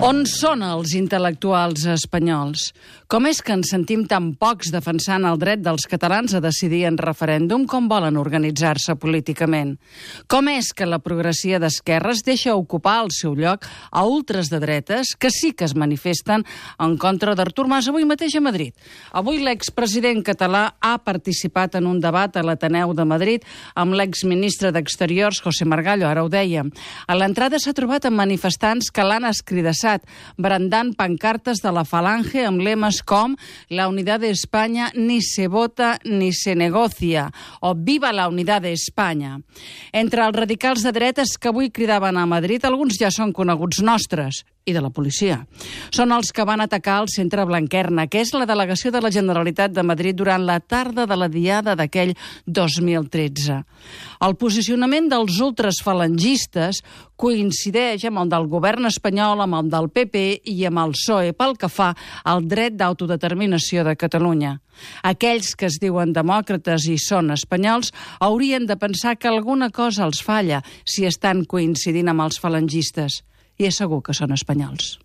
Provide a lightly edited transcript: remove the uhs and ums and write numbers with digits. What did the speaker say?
On són els intel·lectuals espanyols? Com és que ens sentim tan pocs defensant el dret dels catalans a decidir en referèndum com volen organitzar-se políticament? Com és que la progressia d'esquerres deixa ocupar el seu lloc a ultres de dretes que sí que es manifesten en contra d'Artur Mas avui mateix a Madrid? Avui l'expresident català ha participat en un debat a l'Ateneu de Madrid amb l'exministre d'Exteriors, José Margallo, ara ho dèiem. A l'entrada s'ha trobat amb manifestants que l'han escridassat, brandant pancartes de la Falange amb lemes com «La unidad de España ni se vota ni se negocia» o «Viva la unidad de España». Entre els radicals de dretes que avui cridaven a Madrid, alguns ja són coneguts nostres i de la policia. Són els que van atacar el centre Blanquerna, que és la delegació de la Generalitat de Madrid durant la tarda de la diada d'aquell 2013. El posicionament dels ultrasfalangistes coincideix amb el del govern espanyol, amb el del PP i amb el PSOE pel que fa al dret d'autodeterminació de Catalunya. Aquells que es diuen demòcrates i són espanyols haurien de pensar que alguna cosa els falla si estan coincidint amb els falangistes. I és segur que són espanyols.